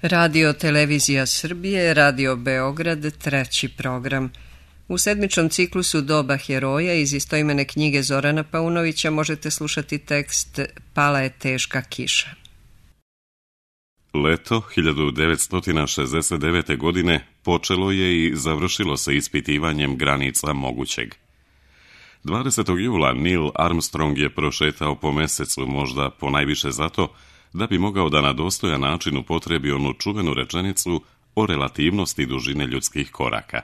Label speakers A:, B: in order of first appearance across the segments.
A: Radio Televizija Srbije, Radio Beograd, treći program. U sedmičnom ciklusu Doba heroja iz istoimene knjige Zorana Paunovića možete slušati tekst Pala je teška kiša.
B: Leto 1969. godine počelo je i završilo se ispitivanjem granica mogućeg. 20. jula Neil Armstrong je prošetao po mesecu, možda ponajviše zato da bi mogao da na dostojan način upotrebi onu čuvenu rečenicu o relativnosti dužine ljudskih koraka.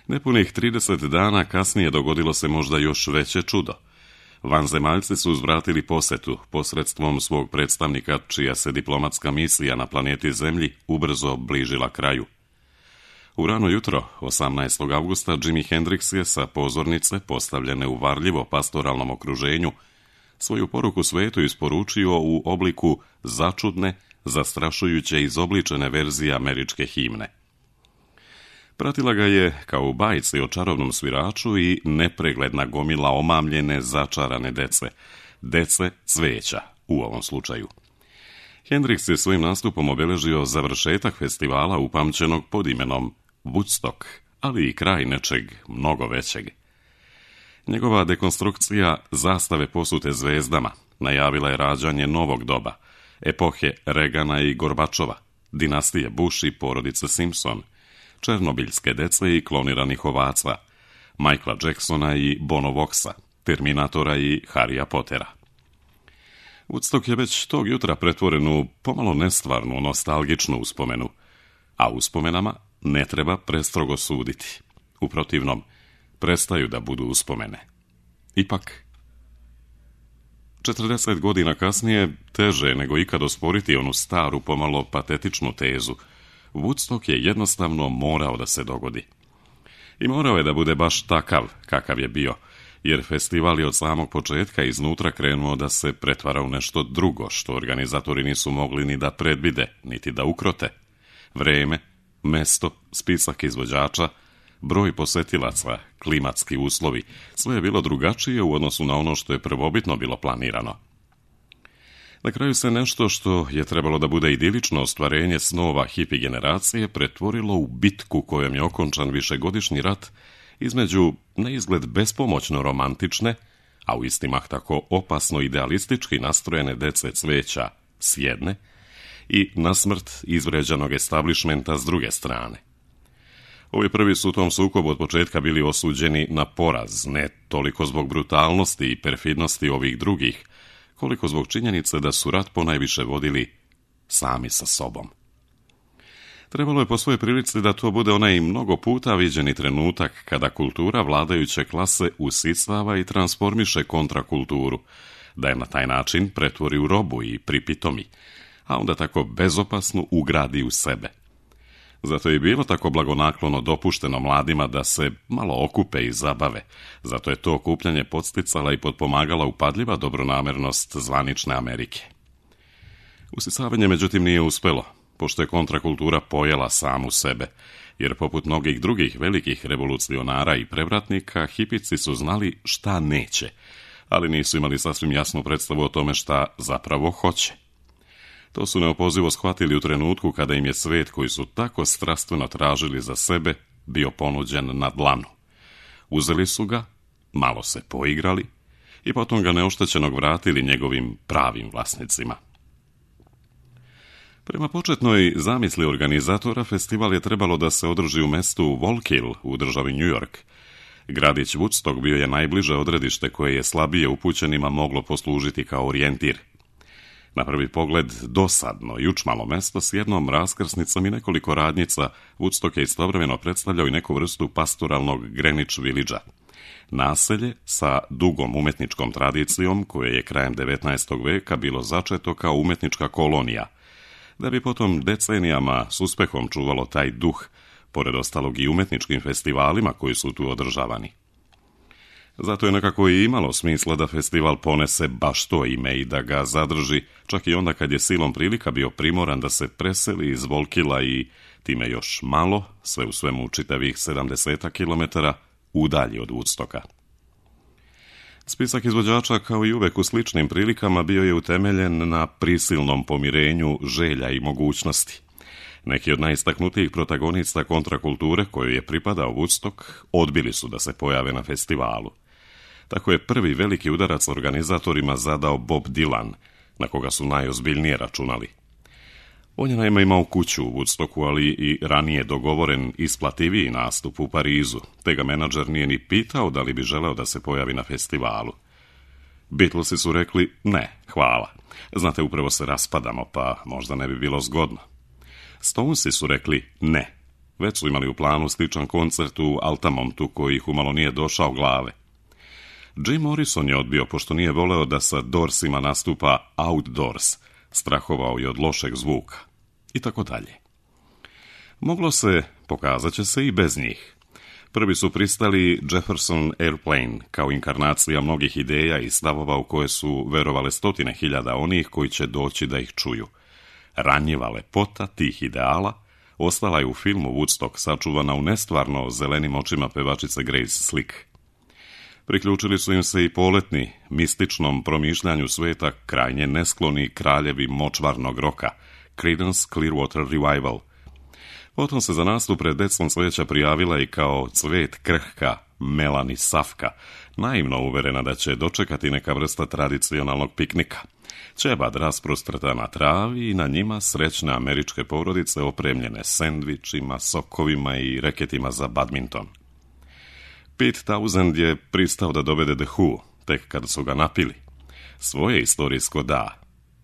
B: Nepunih 30 dana kasnije dogodilo se možda još veće čudo. Vanzemaljci su uzvratili posetu posredstvom svog predstavnika, čija se diplomatska misija na planeti Zemlji ubrzo bližila kraju. U rano jutro, 18. avgusta, Jimi Hendrix je sa pozornice, postavljene u varljivo pastoralnom okruženju, svoju poruku svetu isporučio u obliku začudne, zastrašujuće izobličene verzije američke himne. Pratila ga je, kao u bajci o čarobnom sviraču, i nepregledna gomila omamljene, začarane dece cveća u ovom slučaju. Hendrix je svojim nastupom obeležio završetak festivala upamćenog pod imenom Woodstock, ali i kraj nečeg mnogo većeg. Njegova dekonstrukcija zastave posute zvezdama najavila je rađanje novog doba, epohe Reagana i Gorbačova, dinastije Bush i porodice Simpson, černobiljske dece i kloniranih ovaca, Michaela Jacksona i Bono Voxa, Terminatora i Harrya Pottera. Woodstock je već tog jutra pretvoren u pomalo nestvarnu, nostalgičnu uspomenu, a uspomenama ne treba prestrogo suditi. U protivnom, prestaju da budu uspomene. Ipak, 40 godina kasnije teže nego ikad osporiti onu staru, pomalo patetičnu tezu. Woodstock je jednostavno morao da se dogodi. I morao je da bude baš takav kakav je bio, jer festival je od samog početka iznutra krenuo da se pretvara u nešto drugo, što organizatori nisu mogli ni da predvide, niti da ukrote. Vreme, mesto, spisak izvođača, broj posetilaca, klimatski uslovi, sve je bilo drugačije u odnosu na ono što je prvobitno bilo planirano. Na kraju se nešto što je trebalo da bude idilično ostvarenje snova hipi generacije pretvorilo u bitku kojom je okončan višegodišnji rat između neizgled bespomoćno romantične, a u isti mah tako opasno idealistički nastrojene dece cveća s jedne i nasmrt izvređanog establišmenta s druge strane. Ovi prvi su u tom sukobu od početka bili osuđeni na poraz, ne toliko zbog brutalnosti i perfidnosti ovih drugih, koliko zbog činjenice da su rat ponajviše vodili sami sa sobom. Trebalo je po svojoj prilici da to bude onaj mnogo puta viđeni trenutak kada kultura vladajuće klase usisava i transformiše kontrakulturu, da je na taj način pretvori u robu i pripitomi, a onda tako bezopasno ugradi u sebe. Zato je bilo tako blagonaklono dopušteno mladima da se malo okupe i zabave, zato je to okupljanje podsticala i potpomagala upadljiva dobronamernost zvanične Amerike. Usisavanje međutim nije uspelo, pošto je kontrakultura pojela samu sebe, jer poput mnogih drugih velikih revolucionara i prevratnika, hipici su znali šta neće, ali nisu imali sasvim jasnu predstavu o tome šta zapravo hoće. To su neopozivo shvatili u trenutku kada im je svet koji su tako strastveno tražili za sebe bio ponuđen na dlanu. Uzeli su ga, malo se poigrali i potom ga neoštećenog vratili njegovim pravim vlasnicima. Prema početnoj zamisli organizatora, festival je trebalo da se održi u mestu Volkill u državi New York. Gradić Woodstock bio je najbliže odredište koje je slabije upućenima moglo poslužiti kao orijentir. Na prvi pogled dosadno i učmalo mesto s jednom raskrsnicom i nekoliko radnjica, Woodstock je istovremeno predstavljao i neku vrstu pastoralnog Greenwich Village-a. Naselje sa dugom umetničkom tradicijom koje je krajem 19. veka bilo začeto kao umetnička kolonija, da bi potom decenijama s uspehom čuvalo taj duh, pored ostalog i umetničkim festivalima koji su tu održavani. Zato je nekako i imalo smisla da festival ponese baš to ime i da ga zadrži, čak i onda kad je silom prilika bio primoran da se preseli iz Volkila i time još malo, sve u svemu čitavih 70 km, udalji od Woodstocka. Spisak izvođača, kao i uvek u sličnim prilikama, bio je utemeljen na prisilnom pomirenju želja i mogućnosti. Neki od najistaknutijih protagonista kontrakulture kojoj je pripadao Woodstock odbili su da se pojave na festivalu. Tako je prvi veliki udarac organizatorima zadao Bob Dylan, na koga su najozbiljnije računali. On je naime imao kuću u Woodstocku, ali i ranije dogovoren isplativiji nastup u Parizu, te ga menadžer nije ni pitao da li bi želeo da se pojavi na festivalu. Beatlesi su rekli ne, hvala. Znate, upravo se raspadamo, pa možda ne bi bilo zgodno. Stonesi su rekli ne. Već su imali u planu sličan koncert u Altamontu koji ih umalo nije došao glave. Jim Morrison je odbio pošto nije voleo da sa Doorsima nastupa outdoors, strahovao je od lošeg zvuka i tako dalje. Moglo se, pokazat će se i bez njih. Prvi su pristali Jefferson Airplane kao inkarnacija mnogih ideja i stavova u koje su verovale 100.000 onih koji će doći da ih čuju. Ranjiva lepota tih ideala ostala je u filmu Woodstock sačuvana u nestvarno zelenim očima pevačice Grace Slick. Priključili su im se i poletni, mističnom promišljanju sveta krajnje neskloni kraljevi močvarnog roka, Creedence Clearwater Revival. Potom se za nastup pred decom cveća prijavila i kao cvet krhka Melanie Safka, naivno uverena da će dočekati neka vrsta tradicionalnog piknika. Ćebad rasprostrta na travi i na njima srećne američke porodice opremljene sendvičima, sokovima i reketima za badminton. Pete Townshend je pristao da dovede The Who, tek kada su ga napili. Svoje istorijsko da,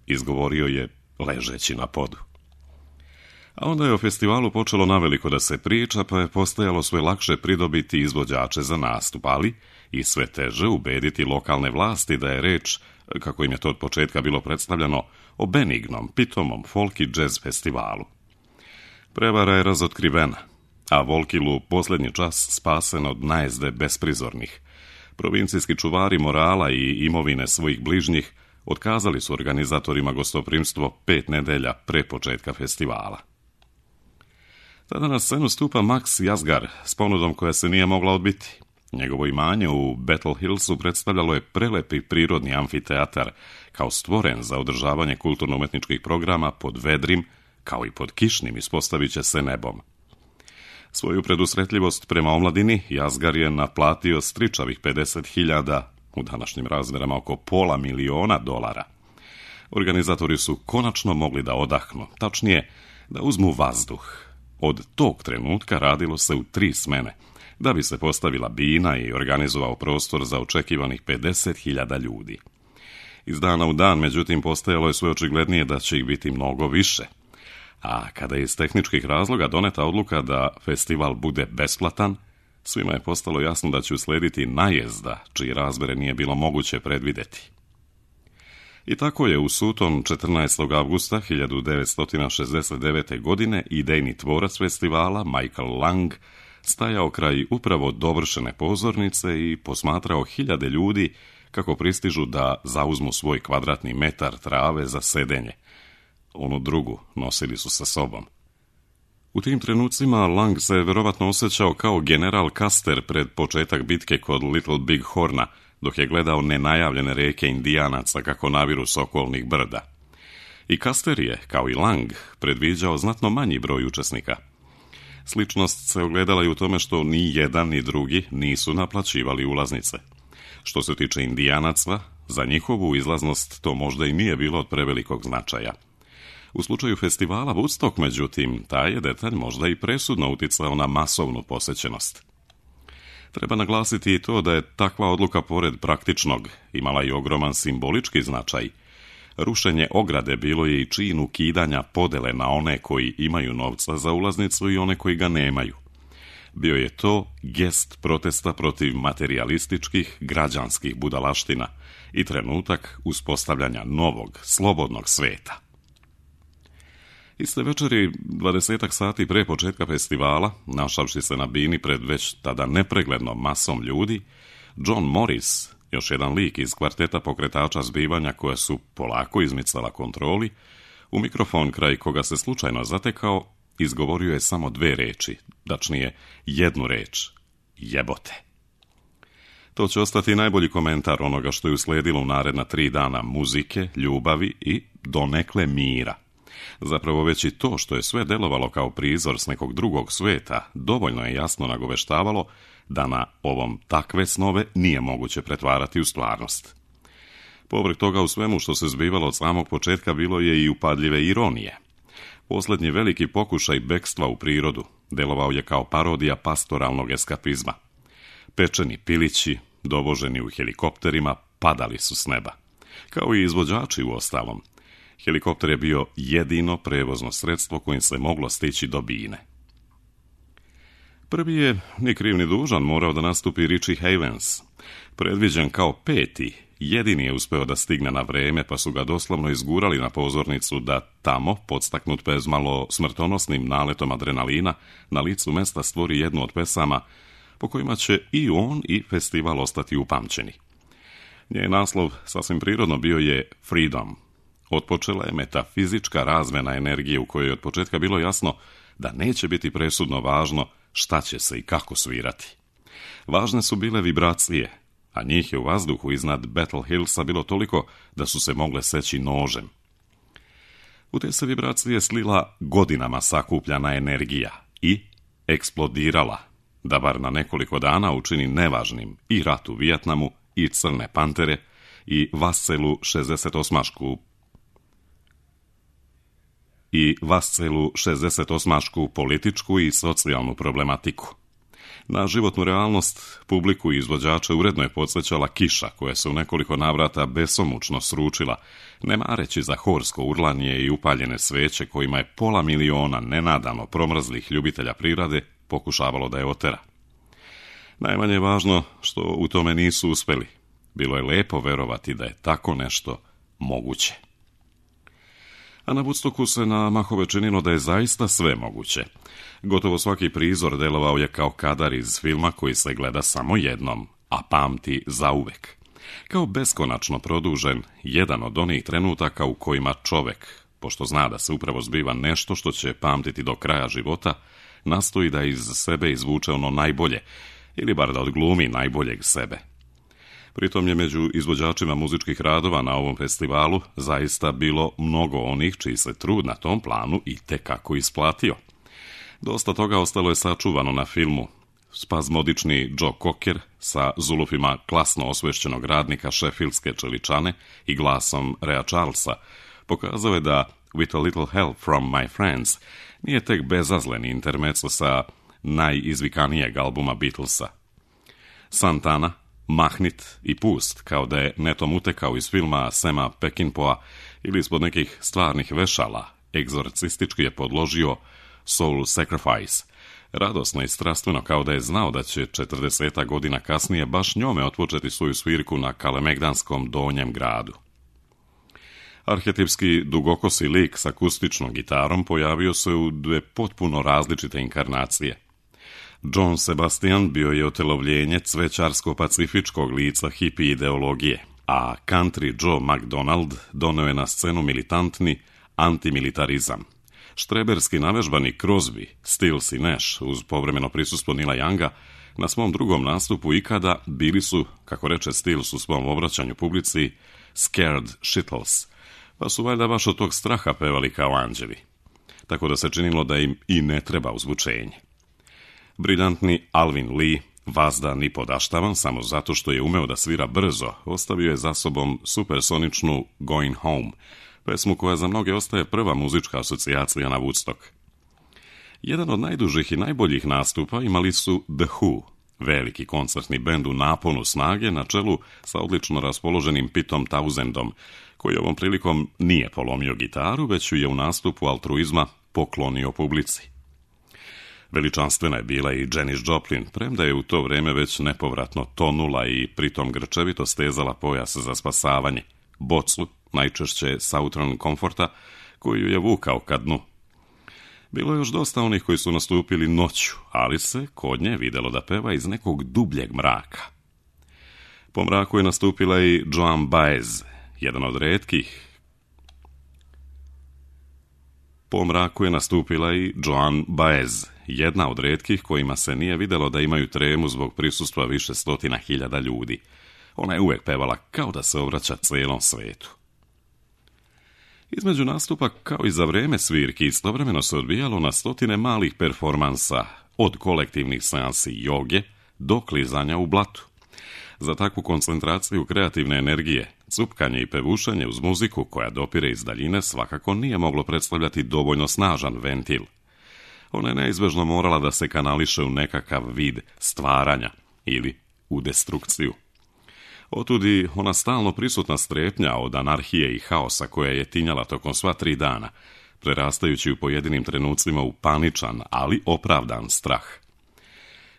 B: izgovorio je ležeći na podu. A onda je o festivalu počelo naveliko da se priča, pa je postajalo sve lakše pridobiti izvođače za nastup, ali i sve teže ubediti lokalne vlasti da je reč, kako im je to od početka bilo predstavljeno, o benignom, pitomom folk i jazz festivalu. Prevara je razotkrivena, a Volkilu posljednji čas spasen od najezde besprizornih. Provincijski čuvari morala i imovine svojih bližnjih otkazali su organizatorima gostoprimstvo 5 nedelja pre početka festivala. Tada na scenu stupa Max Yazgar s ponudom koja se nije mogla odbiti. Njegovo imanje u Battle Hillsu predstavljalo je prelepi prirodni amfiteatar, kao stvoren za održavanje kulturno-umetničkih programa pod vedrim, kao i pod kišnim, ispostavit će se nebom. Svoju predusretljivost prema omladini Yazgar je naplatio stričavih 50.000, u današnjim razmerama oko $500.000. Organizatori su konačno mogli da odahnu, tačnije da uzmu vazduh. Od tog trenutka radilo se u 3 smene, da bi se postavila bina i organizovao prostor za očekivanih 50.000 ljudi. Iz dana u dan, međutim, postajalo je sve očiglednije da će ih biti mnogo više. A kada je iz tehničkih razloga doneta odluka da festival bude besplatan, svima je postalo jasno da će uslediti najezda, čiji razmere nije bilo moguće predvideti. I tako je u suton 14. avgusta 1969. godine idejni tvorac festivala, Michael Lang, stajao kraj upravo dovršene pozornice i posmatrao hiljade ljudi kako pristižu da zauzmu svoj kvadratni metar trave za sedenje. Onu drugu nosili su sa sobom. U tim trenucima Lang se verovatno osjećao kao general Custer pred početak bitke kod Little Big Horna, dok je gledao nenajavljene reke Indijanaca kako naviru s okolnih brda. I Custer je, kao i Lang, predviđao znatno manji broj učesnika. Sličnost se ogledala i u tome što ni jedan ni drugi nisu naplaćivali ulaznice. Što se tiče Indijanaca, za njihovu izlaznost to možda i nije bilo od prevelikog značaja. U slučaju festivala Woodstock, međutim, taj je detalj možda i presudno uticao na masovnu posećenost. Treba naglasiti i to da je takva odluka pored praktičnog imala i ogroman simbolički značaj. Rušenje ograde bilo je i čin ukidanja podele na one koji imaju novca za ulaznicu i one koji ga nemaju. Bio je to gest protesta protiv materialističkih, građanskih budalaština i trenutak uspostavljanja novog, slobodnog sveta. Iste večeri, 20 sati pre početka festivala, našavši se na bini pred već tada nepreglednom masom ljudi, John Morris, još jedan lik iz kvarteta pokretača zbivanja koja su polako izmicala kontroli, u mikrofon kraj koga se slučajno zatekao, izgovorio je samo 2 reči, tačnije 1 reč: jebote. To će ostati najbolji komentar onoga što je uslijedilo u naredna 3 dana muzike, ljubavi i donekle mira. Zapravo već i to što je sve delovalo kao prizor s nekog drugog sveta, dovoljno je jasno nagoveštavalo da na ovom takve snove nije moguće pretvarati u stvarnost. Povrh toga u svemu što se zbivalo od samog početka bilo je i upadljive ironije. Posljednji veliki pokušaj bekstva u prirodu delovao je kao parodija pastoralnog eskapizma. Pečeni pilići, dovoženi u helikopterima, padali su s neba. Kao i izvođači u ostalom. Helikopter je bio jedino prevozno sredstvo kojim se moglo stići do bine. Prvi je, ni kriv ni dužan, morao da nastupi Richie Havens. Predviđen kao 5. jedini je uspeo da stigne na vreme, pa su ga doslovno izgurali na pozornicu da tamo, podstaknut bezmalo smrtonosnim naletom adrenalina, na licu mesta stvori jednu od pesama po kojima će i on i festival ostati upamćeni. Njen naslov sasvim prirodno bio je Freedom. Otpočela je metafizička razmjena energije u kojoj je od početka bilo jasno da neće biti presudno važno šta će se i kako svirati. Važne su bile vibracije, a njih je u vazduhu iznad Battle Hillsa bilo toliko da su se mogle seći nožem. U te se vibracije slila godinama sakupljana energija i eksplodirala, da bar na nekoliko dana učini nevažnim i rat u Vijetnamu, i Crne pantere, i Vascelu 68. političku i socijalnu problematiku. Na životnu realnost publiku i izvođače uredno je podsjećala kiša koja se u nekoliko navrata besomučno sručila, ne mareći za horsko urlanje i upaljene sveće kojima je 500.000 nenadano promrzlih ljubitelja prirode pokušavalo da je otera. Najmanje je važno što u tome nisu uspeli. Bilo je lepo verovati da je tako nešto moguće. A na Woodstocku se na mahove činilo da je zaista sve moguće. Gotovo svaki prizor delovao je kao kadar iz filma koji se gleda samo jednom, a pamti zauvek. Kao beskonačno produžen, jedan od onih trenutaka u kojima čovek, pošto zna da se upravo zbiva nešto što će pamtiti do kraja života, nastoji da iz sebe izvuče ono najbolje, ili bar da odglumi najboljeg sebe. Pritom je među izvođačima muzičkih radova na ovom festivalu zaista bilo mnogo onih čiji se trud na tom planu i tekako isplatio. Dosta toga ostalo je sačuvano na filmu. Spazmodični Joe Cocker sa zulufima klasno osvešćenog radnika šefilske čeličane i glasom Rea Charlesa pokazao je da With a Little Help from My Friends nije tek bezazleni intermezzo sa najizvikanijeg albuma Beatlesa. Santana, mahnit i pust, kao da je netom utekao iz filma Sama Peckinpah ili ispod nekih stvarnih vešala, egzorcistički je podložio Soul Sacrifice, radosno i strastveno kao da je znao da će 40 godina kasnije baš njome otpočeti svoju svirku na Kalemegdanskom donjem gradu. Arhetipski dugokosi lik s akustičnom gitarom pojavio se u 2 potpuno različite inkarnacije. John Sebastian bio je otelovljenje cvećarsko-pacifičkog lica hippie ideologije, a Country Joe McDonald doneo je na scenu militantni antimilitarizam. Štreberski navežbani Crosby, Stills i Nash uz povremeno prisustvo Nila Younga na svom drugom nastupu ikada bili su, kako reče Stills u svom obraćanju publici, scared shittles, pa su valjda baš od tog straha pevali kao anđeli. Tako da se činilo da im i ne treba uzvučenje. Briljantni Alvin Lee, vazdan i podaštavan samo zato što je umeo da svira brzo, ostavio je za sobom supersoničnu Going Home, pesmu koja za mnoge ostaje prva muzička asocijacija na Woodstock. Jedan od najdužih i najboljih nastupa imali su The Who, veliki koncertni bend u naponu snage na čelu sa odlično raspoloženim Pitom Townsendom, koji ovom prilikom nije polomio gitaru, već ju je u nastupu altruizma poklonio publici. Veličanstvena je bila i Janis Joplin, premda je u to vreme već nepovratno tonula i pritom grčevito stezala pojas za spasavanje, bocu, najčešće Southern Comforta, koju je vukao ka dnu. Bilo je još dosta onih koji su nastupili noću, ali se kod nje videlo da peva iz nekog dubljeg mraka. Po mraku je nastupila i Joan Baez, jedan od retkih. jedna od retkih kojima se nije vidjelo da imaju tremu zbog prisustva više stotina hiljada ljudi. Ona je uvijek pevala kao da se obraća cijelom svetu. Između nastupa, kao i za vrijeme svirki, istovremeno se odvijalo na stotine malih performansa, od kolektivnih seansi joge do klizanja u blatu. Za takvu koncentraciju kreativne energije, cupkanje i pevušanje uz muziku koja dopire iz daljine svakako nije moglo predstavljati dovoljno snažan ventil. Ona je neizbežno morala da se kanališe u nekakav vid stvaranja ili u destrukciju. Otudi ona stalno prisutna strepnja od anarhije i haosa koja je tinjala tokom sva 3 dana, prerastajući u pojedinim trenucima u paničan, ali opravdan strah.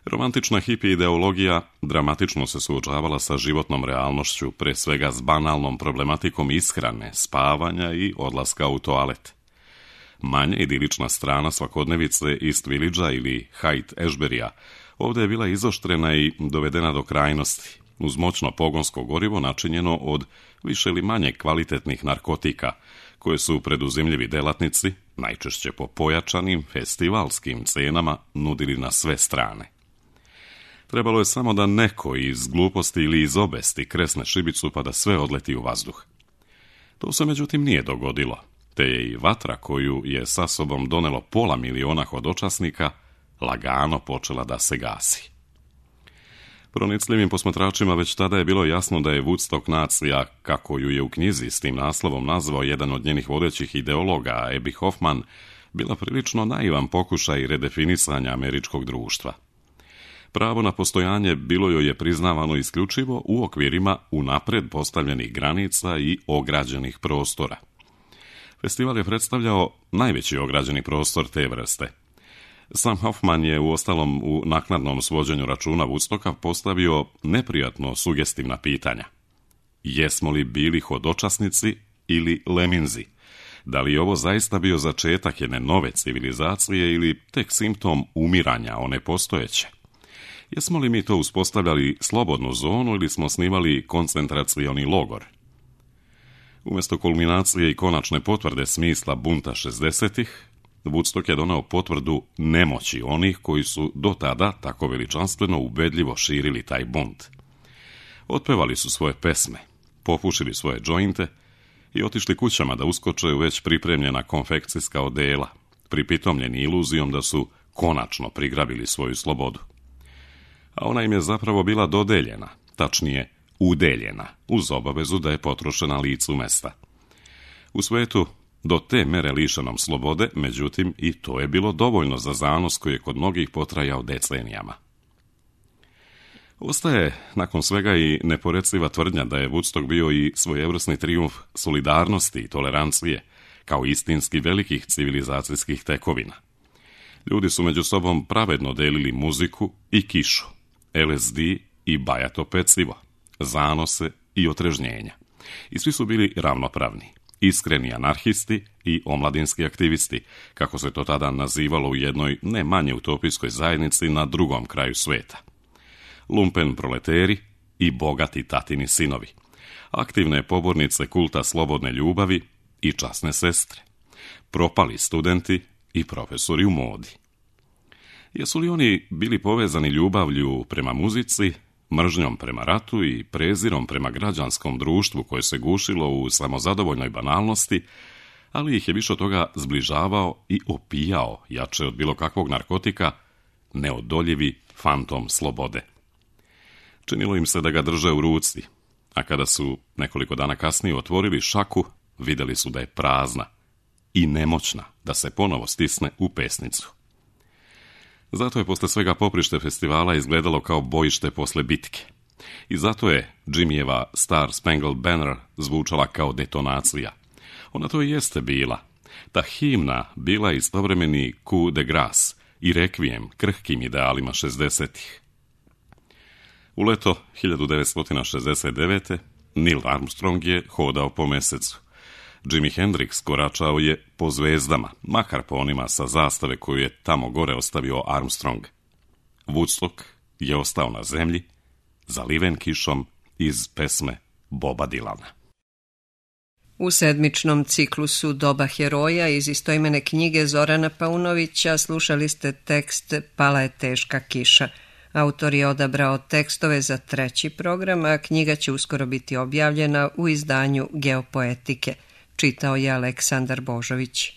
B: Romantična hippie ideologija dramatično se suočavala sa životnom realnošću, pre svega s banalnom problematikom ishrane, spavanja i odlaska u toalet. Manje idilična strana svakodnevice East Villagea ili Haight Ashburya ovdje je bila izoštrena i dovedena do krajnosti, uz moćno pogonsko gorivo načinjeno od više ili manje kvalitetnih narkotika, koje su preduzimljivi delatnici, najčešće po pojačanim festivalskim cenama, nudili na sve strane. Trebalo je samo da neko iz gluposti ili iz obesti kresne šibicu pa da sve odleti u vazduh. To se međutim nije dogodilo, te je i vatra koju je sa sobom donelo 500.000 hodočasnika lagano počela da se gasi. Pronicljivim posmatračima već tada je bilo jasno da je Woodstock nacija, kako ju je u knjizi s tim naslovom nazvao jedan od njenih vodećih ideologa, Abby Hoffman, bila prilično naivan pokušaj redefinisanja američkog društva. Pravo na postojanje bilo joj je priznavano isključivo u okvirima unapred postavljenih granica i ograđenih prostora. Festival je predstavljao najveći ograđeni prostor te vrste. Sam Hoffman je uostalom u naknadnom svođenju računa Woodstocka postavio neprijatno sugestivna pitanja. Jesmo li bili hodočasnici ili leminzi? Da li je ovo zaista bio začetak jedne nove civilizacije ili tek simptom umiranja one postojeće? Jesmo li mi to uspostavljali slobodnu zonu ili smo snimali koncentracioni logor? Umjesto kulminacije i konačne potvrde smisla bunta 60-ih, Woodstock je doneo potvrdu nemoći onih koji su do tada tako veličanstveno ubedljivo širili taj bunt. Otpevali su svoje pesme, popušili svoje džointe i otišli kućama da uskoče u već pripremljena konfekcijska odela, pripitomljeni iluzijom da su konačno prigrabili svoju slobodu. A ona im je zapravo bila dodeljena, tačnije udeljena, uz obavezu da je potrošena licu mesta. U svetu do te mere lišenom slobode, međutim, i to je bilo dovoljno za zanos koji je kod mnogih potrajao decenijama. Ostaje nakon svega i neporeciva tvrdnja da je Woodstock bio i svojevrsni trijumf solidarnosti i tolerancije, kao istinski velikih civilizacijskih tekovina. Ljudi su među sobom pravedno delili muziku i kišu, LSD i bajato pecivo, zanose i otrežnjenja. I svi su bili ravnopravni, iskreni anarhisti i omladinski aktivisti, kako se to tada nazivalo u jednoj ne manje utopijskoj zajednici na drugom kraju sveta. Lumpen proleteri i bogati tatini sinovi, aktivne pobornice kulta slobodne ljubavi i časne sestre, propali studenti i profesori u modi. Jesu li oni bili povezani ljubavlju prema muzici, mržnjom prema ratu i prezirom prema građanskom društvu koje se gušilo u samozadovoljnoj banalnosti, ali ih je više od toga zbližavao i opijao, jače od bilo kakvog narkotika, neodoljivi fantom slobode. Činilo im se da ga drže u ruci, a kada su nekoliko dana kasnije otvorili šaku, vidjeli su da je prazna i nemoćna da se ponovo stisne u pesnicu. Zato je posle svega poprište festivala izgledalo kao bojište posle bitke. I zato je Jimmyjeva Star Spangled Banner zvučala kao detonacija. Ona to i jeste bila. Ta himna bila istovremeni coup de grace i rekvijem krhkim idealima 60-ih. U leto 1969. Neil Armstrong je hodao po mesecu. Jimi Hendrix koračao je po zvezdama, makar po onima sa zastave koju je tamo gore ostavio Armstrong. Woodstock je ostao na zemlji, zaliven kišom iz pesme Boba Dylana.
A: U sedmičnom ciklusu Doba heroja iz istoimene knjige Zorana Paunovića slušali ste tekst Pala je teška kiša. Autor je odabrao tekstove za 3. program, a knjiga će uskoro biti objavljena u izdanju Geopoetike. Čitao je Aleksandar Božović.